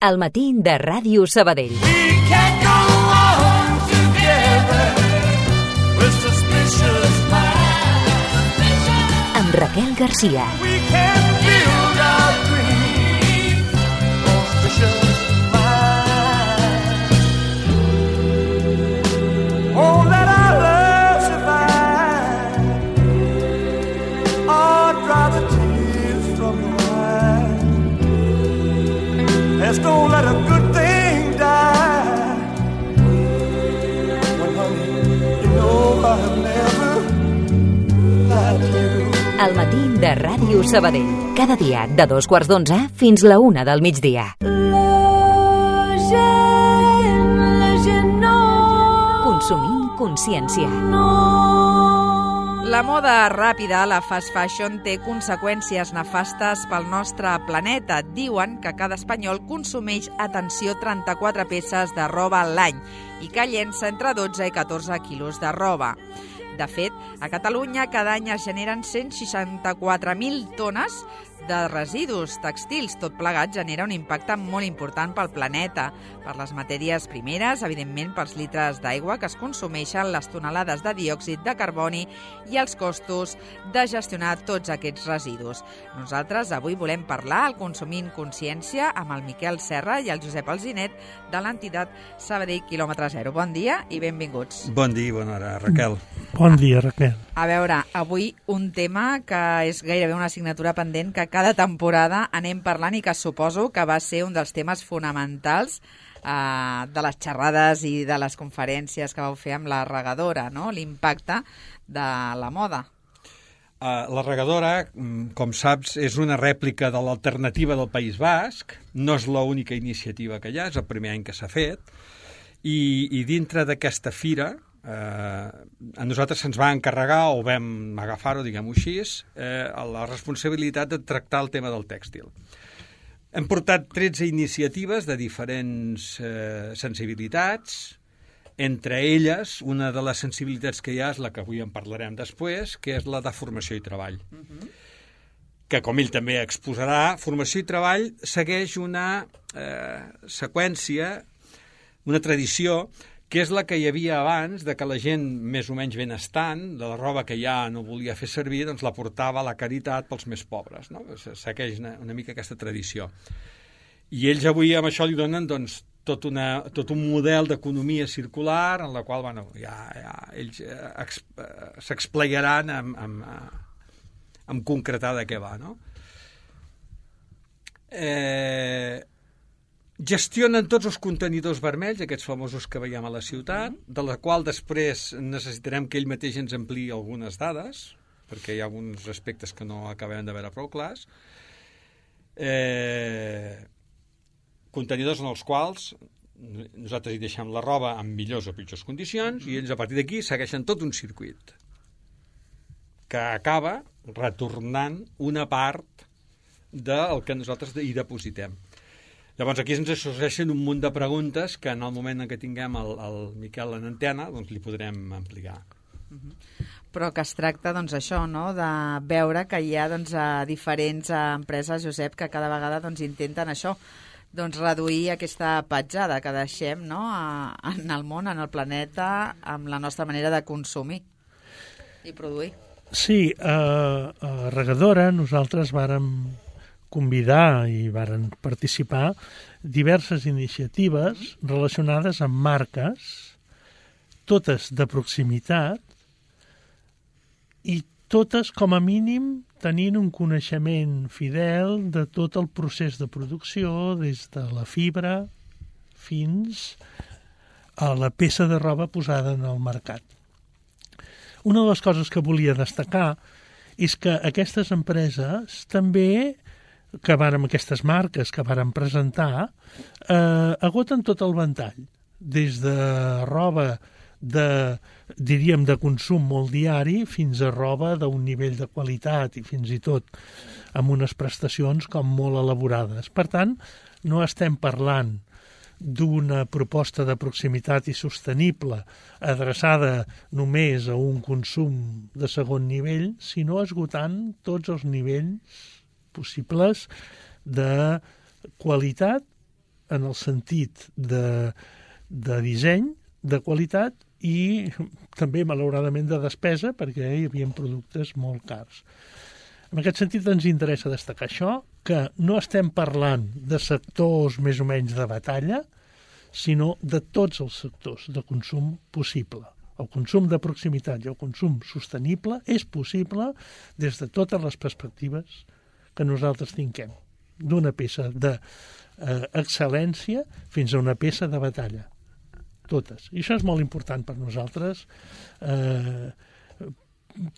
Al matí de Ràdio Sabadell. Amb Raquel Garcia. Don't let a good thing die. When honey, you know I've never lied to you. Al matí de Ràdio Sabadell. Cada dia de 2:15 fins la 1 del migdia. Consumint consciència. La moda ràpida, la fast fashion, té conseqüències nefastes pel nostre planeta. Diuen que cada espanyol consumeix, atenció, 34 peces de roba a l'any i que llença entre 12 i 14 quilos de roba. De fet, a Catalunya cada any es generen 164.000 tones de residus tèxtils. Tot plegat genera un impacte molt important pel planeta, per les matèries primeres, evidentment pels litres d'aigua que es consumeixen, les tonelades de diòxid de carboni i els costos de gestionar tots aquests residus. Nosaltres avui volem parlar al Consumint Consciència amb el Miquel Serra i el Josep Alzinet de l'entitat Sabadell Kilòmetre Zero. Bon dia i benvinguts. Bon dia i bona hora, Raquel. Bon dia, Raquel. A veure, avui un tema que és gairebé una assignatura pendent que cada temporada anem parlant i que suposo que va ser un dels temes fonamentals de les xerrades i de les conferències que vau fer amb la regadora, no? L'impacte de la moda. La regadora, com saps, és una rèplica de l'alternativa del País Basc. No és l'única iniciativa que hi ha, és el primer any que s'ha fet. I dintre d'aquesta fira, a nosaltres se'ns va encarregar, o vam agafar-ho, diguem-ho així, la responsabilitat de tractar el tema del tèxtil. Hem portat 13 iniciatives de diferents sensibilitats. Entre elles, una de les sensibilitats que hi ha és la que avui en parlarem després, que és la de formació i treball. Que, com ell també exposarà, formació i treball segueix una seqüència, una tradició, que és la que hi havia abans, de que la gent més o menys benestant, de la roba que ja no volia fer servir, doncs la portava a la caritat pels més pobres, no? Segueix una mica aquesta tradició. I ells avui amb això li donen doncs, tot un model d'economia circular en la qual ells s'explicaran en concretar de què va, no? Gestionen tots els contenidors vermells, aquests famosos que veiem a la ciutat, de la qual després necessitarem que ell mateix ens ampliï algunes dades, perquè hi ha alguns aspectes que no acabem de veure prou clars. Contenidors en els quals nosaltres hi deixem la roba en millors o pitjors condicions i ells a partir d'aquí segueixen tot un circuit que acaba retornant una part del que nosaltres hi depositem. Llavors aquí ens sorgeixen un munt de preguntes que en el moment en què tinguem el Miquel en antena doncs li podrem ampliar. Però que es tracta, doncs, això, no?, de veure que hi ha diferents empreses, Josep, que cada vegada intenten això, reduir aquesta petjada que deixem, no?, en el món, en el planeta, amb la nostra manera de consumir i produir. Sí, a Regadora nosaltres vàrem convidar i varen participar diverses iniciatives relacionades amb marques, totes de proximitat i totes, com a mínim, tenint un coneixement fidel de tot el procés de producció, des de la fibra fins a la peça de roba posada en el mercat. Una de les coses que volia destacar és que aquestes empreses també, aquestes marques que varen presentar, agoten tot el ventall, des de roba diríem de consum molt diari fins a roba d'un nivell de qualitat i fins i tot amb unes prestacions com molt elaborades. Per tant, no estem parlant d'una proposta de proximitat i sostenible adreçada només a un consum de segon nivell, sinó esgotant tots els nivells possibles de qualitat en el sentit de disseny, de qualitat i també, malauradament, de despesa, perquè hi havia productes molt cars. En aquest sentit ens interessa destacar això, que no estem parlant de sectors més o menys de batalla, sinó de tots els sectors de consum possible. El consum de proximitat i el consum sostenible és possible des de totes les perspectives que nosaltres tinguem, d'una peça d'excel·lència fins a una peça de batalla. Totes. I això és molt important per nosaltres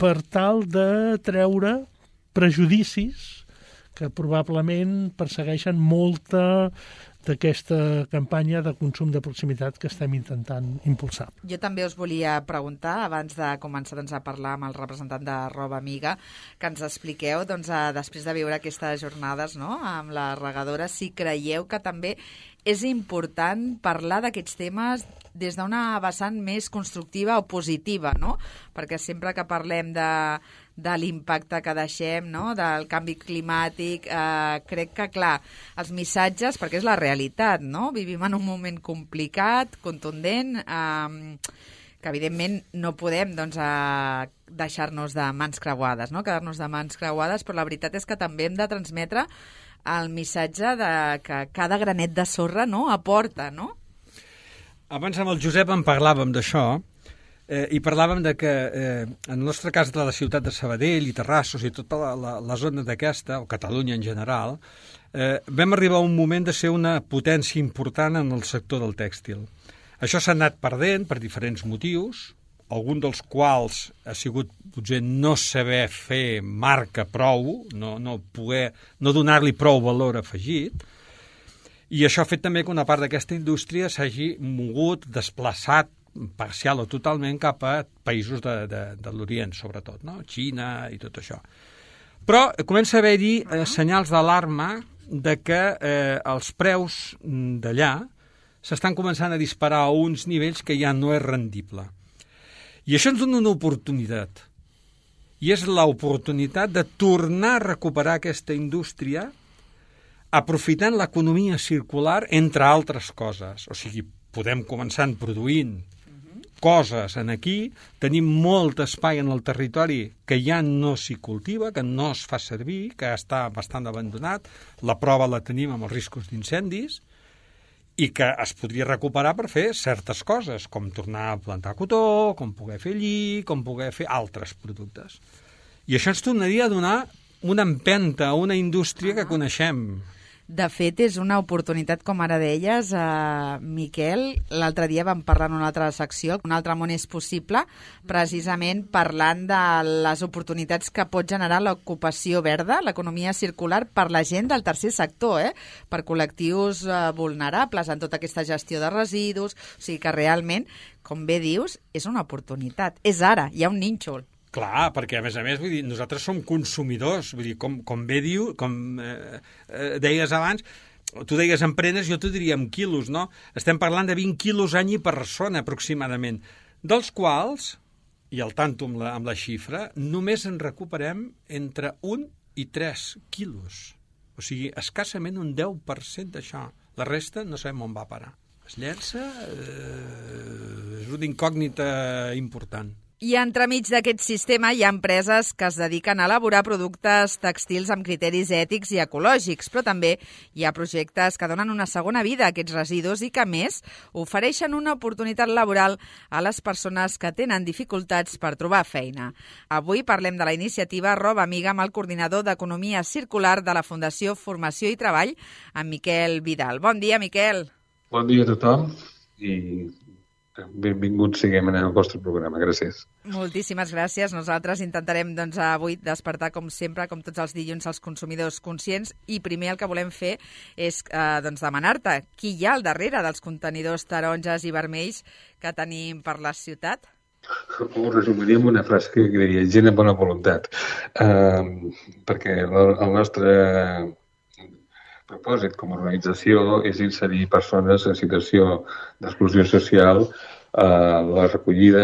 per tal de treure prejudicis que probablement persegueixen molta d'aquesta campanya de consum de proximitat que estem intentant impulsar. Jo també us volia preguntar, abans de començar a parlar amb el representant de Roba Amiga, que ens expliqueu, després de viure aquestes jornades amb la regadora, si creieu que també és important parlar d'aquests temes des d'una vessant més constructiva o positiva, no? Perquè sempre que parlem de l'impacte que deixem, no? Del canvi climàtic, crec que, clar, els missatges, perquè és la realitat, no? Vivim en un moment complicat, contundent, que evidentment no podem deixar-nos de mans creuades, no? Quedar-nos de mans creuades, però la veritat és que també hem de transmetre el missatge de que cada granet de sorra aporta, no? Abans amb el Josep en parlàvem d'això i parlàvem de que en el nostre cas de la ciutat de Sabadell i Terrassos i tota la zona d'aquesta, o Catalunya en general, vam arribar a un moment de ser una potència important en el sector del tèxtil. Això s'ha anat perdent per diferents motius, algun dels quals ha sigut potser no saber fer marca prou, no donar-li prou valor afegit, i això ha fet també que una part d'aquesta indústria s'hagi mogut, desplaçat parcial o totalment cap a països de l'Orient, sobretot, no? Xina i tot això. Però comença a haver-hi senyals d'alarma de que els preus d'allà s'estan començant a disparar a uns nivells que ja no és rendible. I això ens dona una oportunitat. I és l'oportunitat de tornar a recuperar aquesta indústria aprofitant l'economia circular, entre altres coses. O sigui, podem començar produint coses aquí, tenim molt espai en el territori que ja no s'hi cultiva, que no es fa servir, que està bastant abandonat, la prova la tenim amb els riscos d'incendis, i que es podria recuperar per fer certes coses, com tornar a plantar cotó, com poder fer lli, com poder fer altres productes. I això ens tornaria a donar una empenta a una indústria que coneixem. De fet, és una oportunitat, com ara deies, Miquel. L'altre dia vam parlar en una altra secció, Un altre món és possible, precisament parlant de les oportunitats que pot generar l'ocupació verda, l'economia circular, per la gent del tercer sector, per col·lectius vulnerables en tota aquesta gestió de residus. O sigui que realment, com bé dius, és una oportunitat. És ara, hi ha un nínxol. Clar, perquè a més, vull dir, nosaltres som consumidors, vull dir, com bé diu, com deies abans, tu deies en prenes, jo t'ho diria en quilos, no? Estem parlant de 20 quilos any i persona, aproximadament, dels quals, i al tanto amb la xifra, només en recuperem entre 1 i 3 quilos. O sigui, escassament un 10% d'això. La resta no sabem on va parar. Es llença, és una incògnita important. I entremig d'aquest sistema hi ha empreses que es dediquen a elaborar productes tèxtils amb criteris ètics i ecològics, però també hi ha projectes que donen una segona vida a aquests residus i que, a més, ofereixen una oportunitat laboral a les persones que tenen dificultats per trobar feina. Avui parlem de la iniciativa Roba Amiga amb el coordinador d'Economia Circular de la Fundació Formació i Treball, en Miquel Vidal. Bon dia, Miquel. Bon dia a tothom i benvinguts siguem en el vostre programa. Gràcies. Moltíssimes gràcies. Nosaltres intentarem avui despertar, com sempre, com tots els dilluns, els consumidors conscients, i primer el que volem fer és demanar-te qui hi ha al darrere dels contenidors taronges i vermells que tenim per la ciutat. Ho resumiria amb una frase que diria gent amb bona voluntat, perquè el nostre propòsit com a organització és inserir persones en situació d'exclusió social a la recollida,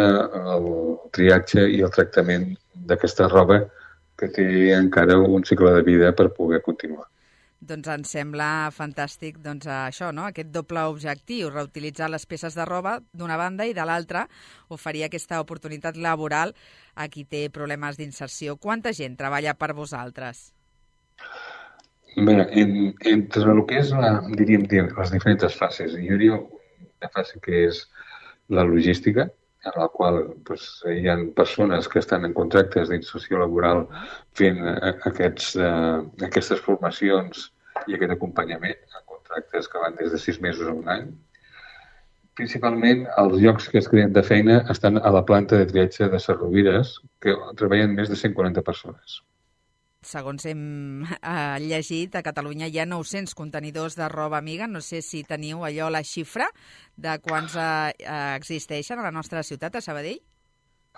el triatge i el tractament d'aquesta roba que té encara un cicle de vida per poder continuar. Doncs ens sembla fantàstic això, no? Aquest doble objectiu, reutilitzar les peces de roba d'una banda i de l'altra oferir aquesta oportunitat laboral a qui té problemes d'inserció. Quanta gent treballa per vosaltres? Bé, entre el que és, diríem, les diferents fases, hi hauria una fase que és la logística, en la qual hi ha persones que estan en contractes d'inserció laboral fent aquestes formacions i aquest acompanyament, contractes que van des de 6 mesos a un any. Principalment, els llocs que es creen de feina estan a la planta de triatge de Ses Rovires, que treballen més de 140 persones. Segons hem llegit, a Catalunya hi ha 900 contenidors de roba amiga. No sé si teniu allò la xifra de quants existeixen a la nostra ciutat, a Sabadell.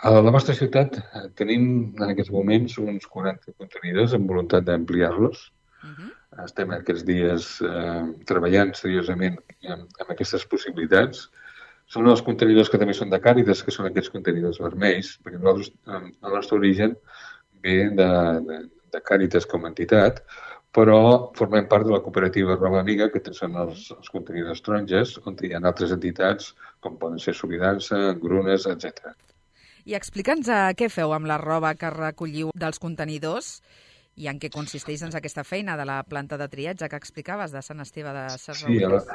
A la nostra ciutat tenim en aquests moments uns 40 contenidors amb voluntat d'ampliar-los. Estem aquests dies treballant seriosament amb aquestes possibilitats. Són els contenidors que també són de Càritas, que són aquests contenidors vermells, perquè nosaltres, el nostre origen ve de Càritas com a entitat, però formem part de la cooperativa Roba Amiga, que són els contenidors taronges, on hi ha altres entitats, com poden ser Solidança, Engrunes, etc. I explica'ns què feu amb la roba que recolliu dels contenidors i en què consisteix aquesta feina de la planta de triatge que explicaves de Sant Esteve de Ses Rovires. Sí,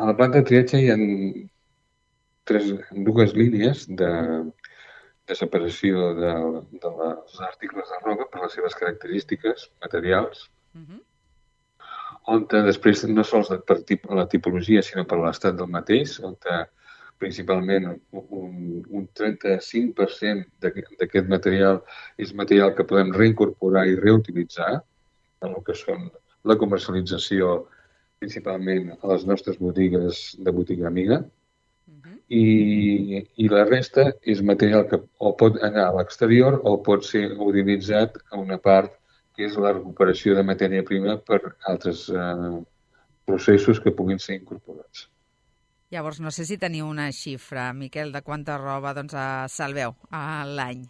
a la planta de triatge hi ha dues línies de separació dels articles de roba per les seves característiques materials, on després no sols per la tipologia, sinó per l'estat del mateix, on principalment un 35% d'aquest material és material que podem reincorporar i reutilitzar en el que són la comercialització principalment a les nostres botigues de botiga amiga, i la resta és material que o pot anar a l'exterior o pot ser utilitzat a una part que és la recuperació de matèria prima per altres processos que puguin ser incorporats. Llavors, no sé si teniu una xifra, Miquel, de quanta roba salveu a l'any.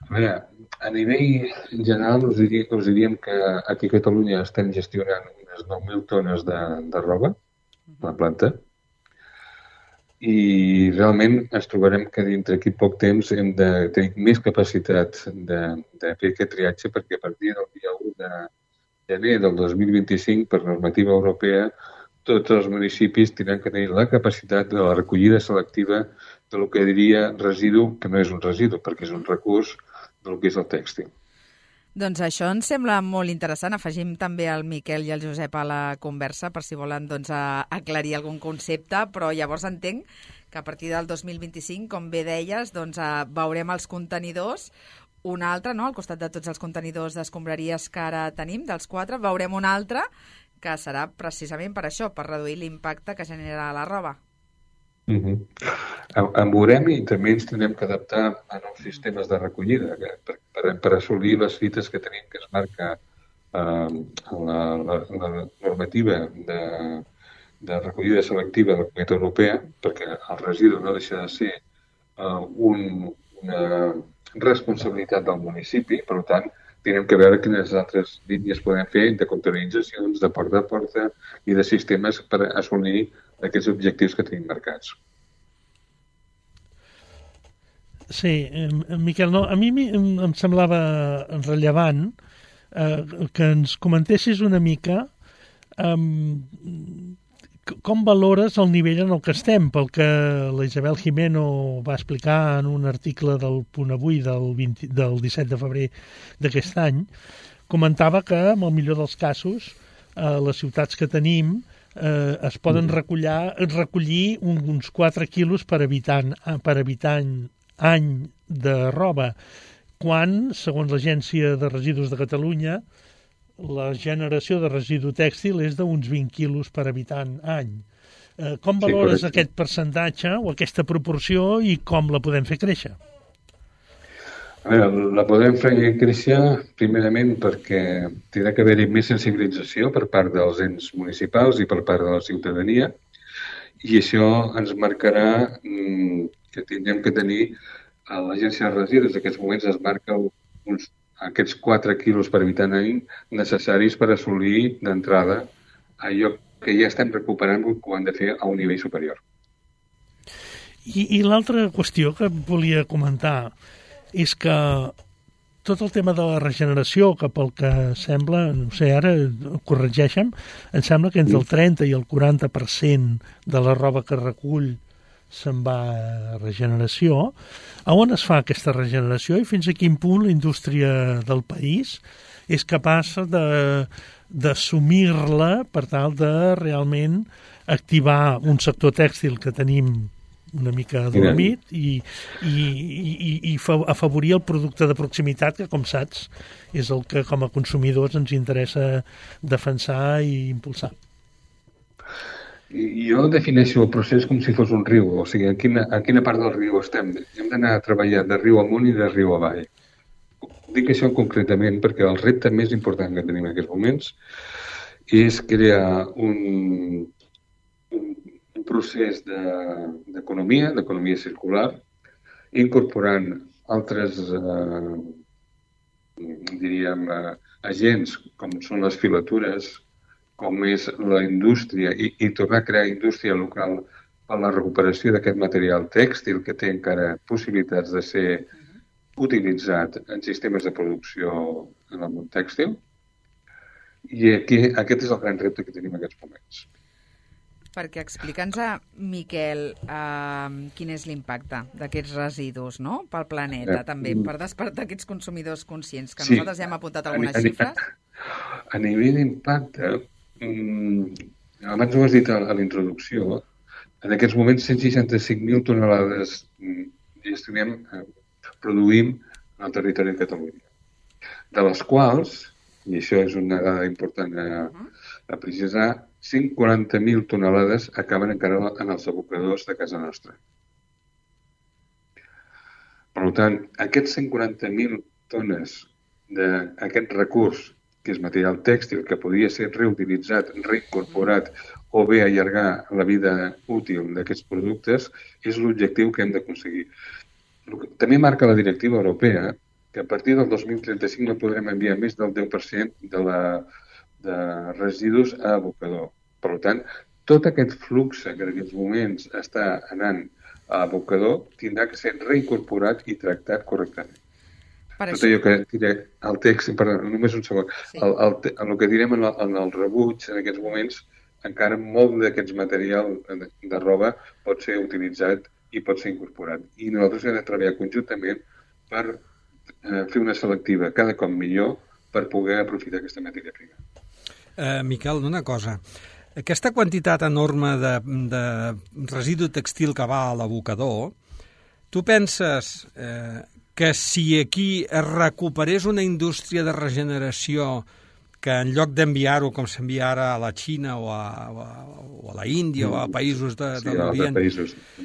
A veure, a nivell general us diríem que aquí a Catalunya estem gestionant unes 9.000 tones de roba a la planta, i realment ens trobarem que dintre d'aquí poc temps hem de tenir més capacitat de fer aquest triatge, perquè a partir del dia 1 de gener del 2025, per normativa europea, tots els municipis tindran que tenir la capacitat de la recollida selectiva del que diria residu, que no és un residu, perquè és un recurs del que és el tèxtil. Doncs això ens sembla molt interessant. Afegim també el Miquel i el Josep a la conversa per si volen aclarir algun concepte, però llavors entenc que a partir del 2025, com bé deies, veurem els contenidors, un altre, no? Al costat de tots els contenidors d'escombraries que ara tenim, dels 4, veurem un altre que serà precisament per això, per reduir l'impacte que genera la roba. En veurem i també ens tindrem que adaptar a nous sistemes de recollida per assolir les fites que tenim que es marca la normativa de recollida selectiva de la Comunitat Europea, perquè el residu no deixa de ser una responsabilitat del municipi, per tant, tenim que veure quines altres línies podem fer de contaminitzacions, de porta a porta i de sistemes per assolir aquests objectius que tenim marcats. Sí, Miquel, a mi em semblava rellevant que ens comentessis una mica com valores el nivell en el que estem, pel que la Isabel Jimeno va explicar en un article del Punt Avui del 17 de febrer d'aquest any. Comentava que, en el millor dels casos, les ciutats que tenim es poden recollir uns 4 quilos per habitant any de roba, quan, segons l'Agència de Residus de Catalunya, la generació de residu tèxtil és d'uns 20 quilos per habitant any. Com valores aquest percentatge o aquesta proporció i com la podem fer créixer? A veure, la podem fer créixer primerament perquè tindrà que haver-hi més sensibilització per part dels ens municipals i per part de la ciutadania, i això ens marcarà que tindrem que tenir a l'Agència de Residus. En aquests moments es marca aquests 4 quilos per habitant any necessaris per assolir d'entrada allò que ja estem recuperant que ho han de fer a un nivell superior. I l'altra qüestió que volia comentar és que tot el tema de la regeneració, que pel que sembla, no sé, ara corregeixen, em sembla que entre el 30 i el 40% de la roba que recull se'n va a regeneració. A on es fa aquesta regeneració i fins a quin punt la indústria del país és capaç d'assumir-la per tal de realment activar un sector tèxtil que tenim una mica adormit i afavorir el producte de proximitat que, com saps, és el que com a consumidors ens interessa defensar i impulsar. Jo defineixo el procés com si fos un riu, o sigui, a quina part del riu estem. Hem d'anar a treballar de riu amunt i de riu avall. Dic això concretament perquè el repte més important que tenim en aquests moments és crear un procés d'economia circular, incorporant altres, agents com són les filatures, com és la indústria, i tornar a crear indústria local per la recuperació d'aquest material tèxtil que té encara possibilitats de ser utilitzat en sistemes de producció en el món tèxtil. I aquest és el gran repte que tenim en aquests moments. Perquè explica'ns, Miquel, quin és l'impacte d'aquests residus, no?, pel planeta, també, per despertar aquests consumidors conscients, que nosaltres ja hem apuntat algunes xifres. A nivell d'impacte, abans ho has dit a la introducció, en aquests moments 165.000 tonelades gestionem, produïm en el territori de Catalunya, de les quals, i això és una dada important a precisar, 140.000 tonelades acaben encara en els abocadors de casa nostra. Per tant, aquests 140.000 tones d'aquest recurs, que és material tèxtil, que podria ser reutilitzat, reincorporat o bé allargar la vida útil d'aquests productes, és l'objectiu que hem d'aconseguir. També marca la directiva europea que a partir del 2035 no podrem enviar més del 10% de residus a abocador. Per tant, tot aquest flux que en aquests moments està anant a abocador tindrà que ser reincorporat i tractat correctament. Tot allò que diré al text, només un segon, el que direm en el rebuig en aquests moments, encara molt d'aquests material de roba pot ser utilitzat i pot ser incorporat. I nosaltres hem de treballar conjuntament per fer una selectiva cada cop millor per poder aprofitar aquesta matèria prima. Miquel, una cosa. Aquesta quantitat enorme de residu tèxtil que va a l'abocador, tu penses que si aquí es recuperés una indústria de regeneració que en lloc d'enviar-ho com s'envia ara a la Xina o a la Índia o a països de l'Orient...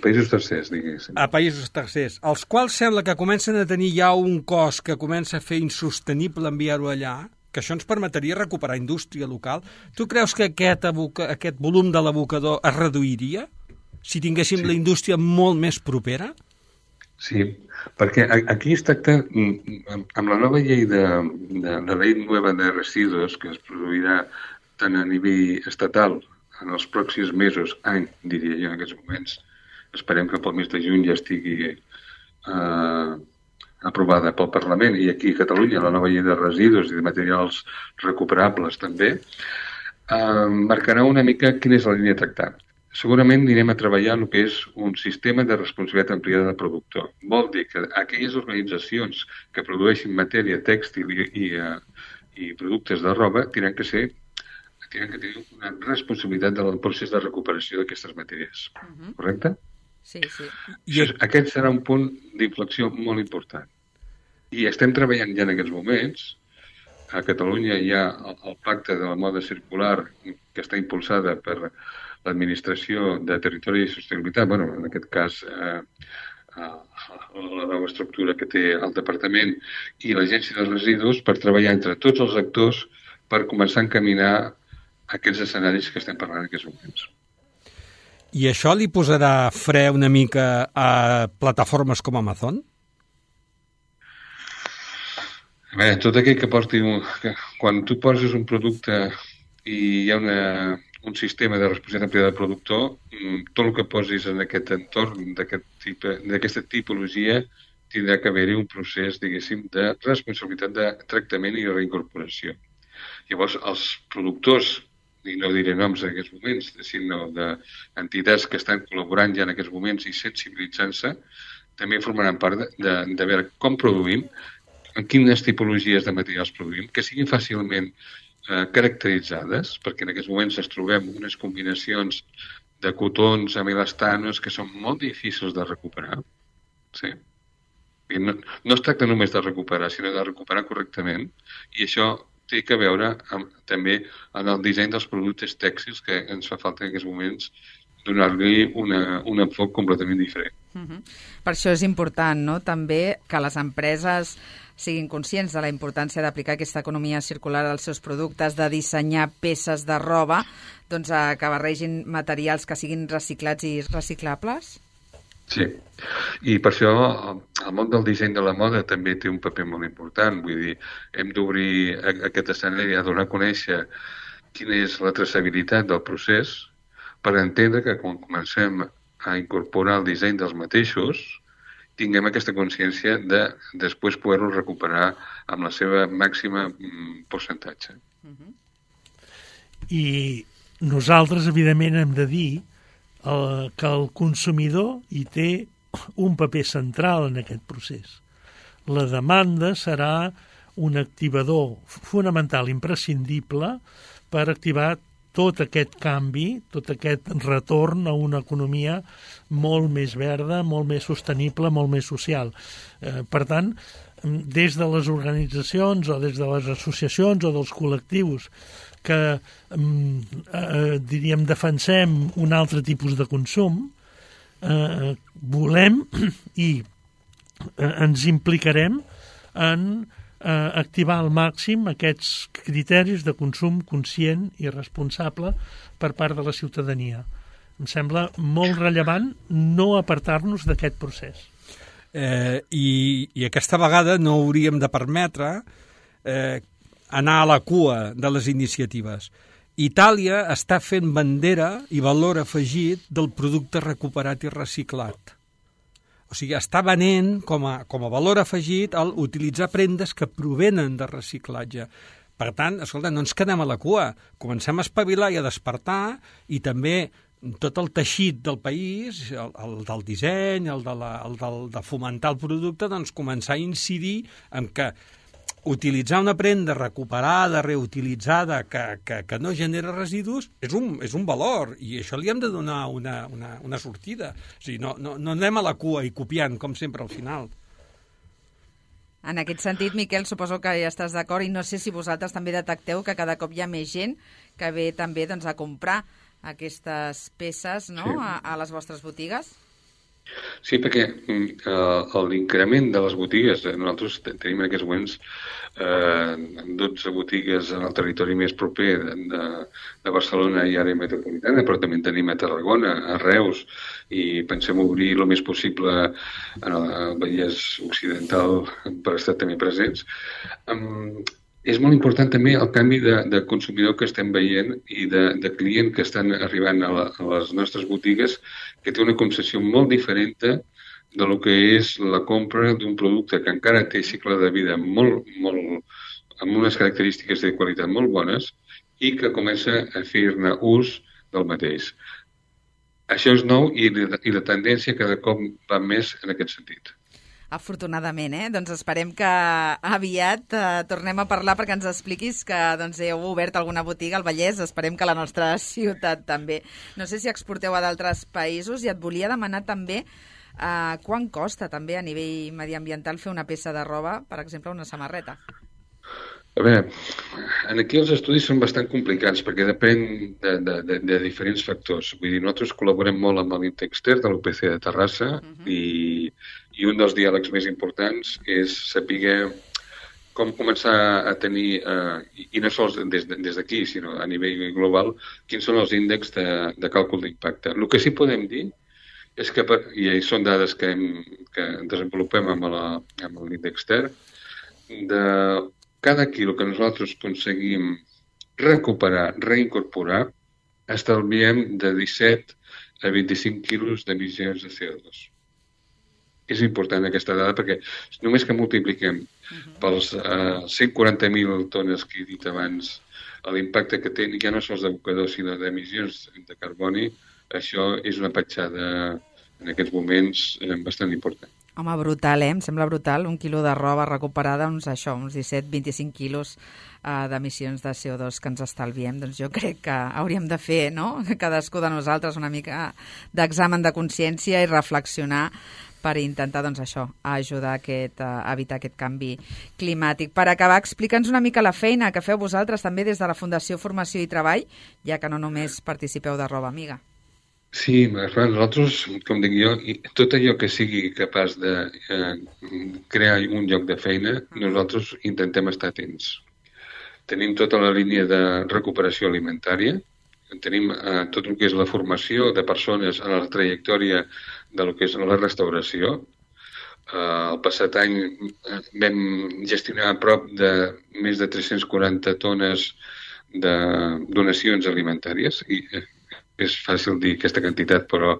països tercers, diguéssim. A països tercers, els quals sembla que comencen a tenir ja un cost que comença a fer insostenible enviar-ho allà, que això ens permetria recuperar indústria local. Tu creus que aquest volum de l'abocador es reduiria si tinguéssim la indústria molt més propera? Sí, perquè aquí es tracta, amb la nova llei de la llei nova de residus que es produirà tant a nivell estatal en els pròxims mesos, any, diria jo en aquests moments, esperem que pel mes de juny ja estigui aprovada pel Parlament, i aquí a Catalunya la nova llei de residus i de materials recuperables també, marcarà una mica quina és la línia a tractar. Segurament anirem a treballar el que és un sistema de responsabilitat ampliada del productor. Vol dir que aquelles organitzacions que produeixin matèria tèxtil i productes de roba tenen que tenir una responsabilitat del procés de recuperació d'aquestes matèries. Correcte? Sí, sí. Aquest serà un punt d'inflexió molt important. I estem treballant ja en aquests moments. A Catalunya hi ha el pacte de la moda circular que està impulsada per l'Administració de Territori i Sostenibilitat, en aquest cas la nova estructura que té el Departament i l'Agència de Residus, per treballar entre tots els actors per començar a encaminar aquests escenaris que estem parlant en aquests moments. I això li posarà fre una mica a plataformes com Amazon? A veure, tot aquell que porti... Quan tu poses un producte i hi ha un sistema de responsabilitat ampliada del productor, tot el que posis en aquest entorn d'aquesta tipologia tindrà que haver-hi un procés, diguéssim, de responsabilitat de tractament i reincorporació. Llavors, els productors, i no diré noms en aquests moments, sinó d'entitats que estan col·laborant ja en aquests moments i sensibilitzant-se, també formaran part de veure com produïm, en quines tipologies de materials produïm, que siguin fàcilment caracteritzades, perquè en aquests moments es trobem unes combinacions de cotons amb elastanos que són molt difícils de recuperar. Sí? No es tracta només de recuperar, sinó de recuperar correctament, i això té que veure també en el disseny dels productes tèxtils, que ens fa falta en aquests moments donar-li un enfoc completament diferent. Per això és important, no?, també que les empreses siguin conscients de la importància d'aplicar aquesta economia circular als seus productes, de dissenyar peces de roba doncs, que barregin materials que siguin reciclats i reciclables? Sí, i per això el món del disseny de la moda també té un paper molt important. Vull dir, hem d'obrir aquest escenari a donar a conèixer quina és la traçabilitat del procés per entendre que quan comencem a incorporar el disseny dels mateixos tinguem aquesta consciència de després poder-ho recuperar amb la seva màxima percentatge. I nosaltres, evidentment, hem de dir que el consumidor hi té un paper central en aquest procés. La demanda serà un activador fonamental, imprescindible, per activar tot aquest canvi, tot aquest retorn a una economia molt més verda, molt més sostenible, molt més social. Per tant, des de les organitzacions o des de les associacions o dels col·lectius que, diríem, defensem un altre tipus de consum, volem i ens implicarem en activar al màxim aquests criteris de consum conscient i responsable per part de la ciutadania. Em sembla molt rellevant no apartar-nos d'aquest procés. I aquesta vegada no hauríem de permetre anar a la cua de les iniciatives. Itàlia està fent bandera i valor afegit del producte recuperat i reciclat. O sigui, està venent com a valor afegit el utilitzar prendes que provenen de reciclatge. Per tant, escolta, no ens quedem a la cua. Comencem a espavilar i a despertar, i també tot el teixit del país, el del disseny, el de fomentar el producte, doncs començar a incidir en que utilitzar una prenda recuperada, reutilitzada, que no genera residus, és un valor, i això li hem de donar una sortida. O sigui, no anem a la cua i copiant, com sempre, al final. En aquest sentit, Miquel, suposo que ja estàs d'acord, i no sé si vosaltres també detecteu que cada cop hi ha més gent que ve també doncs, a comprar aquestes peces, no?, sí, a les vostres botigues. Sí, perquè l'increment de les botigues, nosaltres tenim en aquests moments 12 botigues en el territori més proper de Barcelona i àrea metropolitana, però també en tenim a Tarragona, a Reus, i pensem obrir el més possible en el Vallès Occidental per estar també presents. És molt important també el canvi de consumidor que estem veient i de client que estan arribant a les nostres botigues, que té una concepció molt diferent de lo que és la compra d'un producte que encara té cicle de vida molt, amb unes característiques de qualitat molt bones i que comença a fer-ne ús del mateix. Això és nou i la tendència cada cop va més en aquest sentit. Afortunadament, Doncs esperem que aviat tornem a parlar perquè ens expliquis que heu obert alguna botiga al Vallès. Esperem que a la nostra ciutat també. No sé si exporteu a d'altres països, i et volia demanar també quant costa també a nivell mediambiental fer una peça de roba, per exemple, una samarreta. A veure, aquí els estudis són bastant complicats perquè depèn de diferents factors. Vull dir, nosaltres col·laborem molt amb l'Intexter de l'UPC de Terrassa, i un dels diàlegs més importants és saber com començar a tenir, i no sols des d'aquí, sinó a nivell global, quins són els índexs de càlcul d'impacte. El que sí podem dir és que, i són dades que desenvolupem amb l'Intexter, de cada quilo que nosaltres aconseguim recuperar, reincorporar, estalviem de 17 a 25 quilos d'emissions de CO2. És important aquesta dada perquè només que multipliquem pels 140.000 tones que he dit abans l'impacte que té ja no sols d'abocadors sinó d'emissions de carboni, això és una petjada en aquests moments bastant important. Home, brutal, Em sembla brutal. 1 quilo de roba recuperada, uns 17-25 quilos d'emissions de CO2 que ens estalviem. Doncs jo crec que hauríem de fer, no?, cadascú de nosaltres una mica d'examen de consciència i reflexionar per intentar, doncs això, ajudar a evitar aquest canvi climàtic. Per acabar, explica'ns una mica la feina que feu vosaltres també des de la Fundació Formació i Treball, ja que no només participeu de Roba Amiga. Sí, nosaltres, com dic jo, tot allò que sigui capaç de crear un lloc de feina, nosaltres intentem estar atents. Tenim tota la línia de recuperació alimentària, tenim tot el que és la formació de persones en la trajectòria de lo que és la restauració. El passat any vam gestionar a prop de més de 340 tones de donacions alimentàries i és fàcil dir aquesta quantitat, però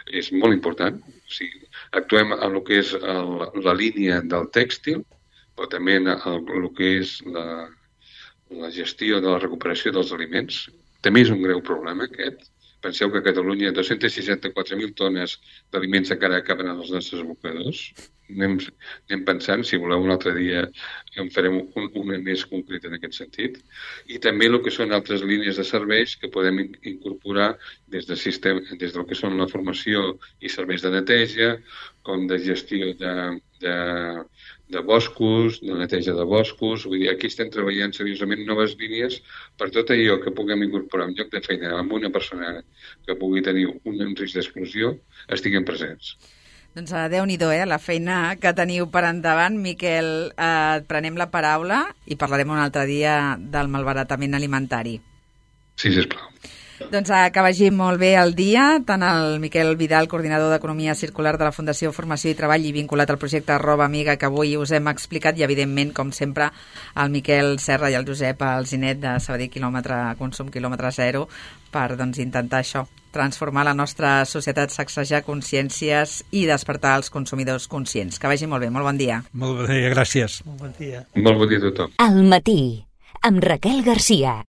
és molt important. O sigui, actuem en el que és la línia del tèxtil, però també en el que és la gestió de la recuperació dels aliments. També és un greu problema, aquest. Penseu que a Catalunya 264.000 tones d'aliments encara acaben als nostres abocadors. Anem pensant, si voleu un altre dia en farem una més concreta en aquest sentit. I també el que són altres línies de serveis que podem incorporar des del que són la formació i serveis de neteja, com de gestió de boscos, de neteja de boscos. Vull dir, aquí estem treballant seriosament noves línies per tot allò que puguem incorporar un lloc de feina amb una persona que pugui tenir un risc d'exclusió, estiguem presents. Doncs Déu-n'hi-do, la feina que teniu per endavant. Miquel, et prenem la paraula i parlarem un altre dia del malbaratament alimentari. Sí, sisplau. Doncs que vagi molt bé el dia, tant el Miquel Vidal, coordinador d'Economia Circular de la Fundació Formació i Treball i vinculat al projecte Roba Amiga que avui us hem explicat, i evidentment, com sempre, el Miquel Serra i el Josep Alzinet de Sabadell Consum Quilòmetre Zero per intentar això, transformar la nostra societat, sacsejar consciències i despertar els consumidors conscients. Que vagi molt bé, molt bon dia. Molt bé, gràcies. Molt bon dia. Molt bon dia a tothom. Al matí, amb Raquel Garcia.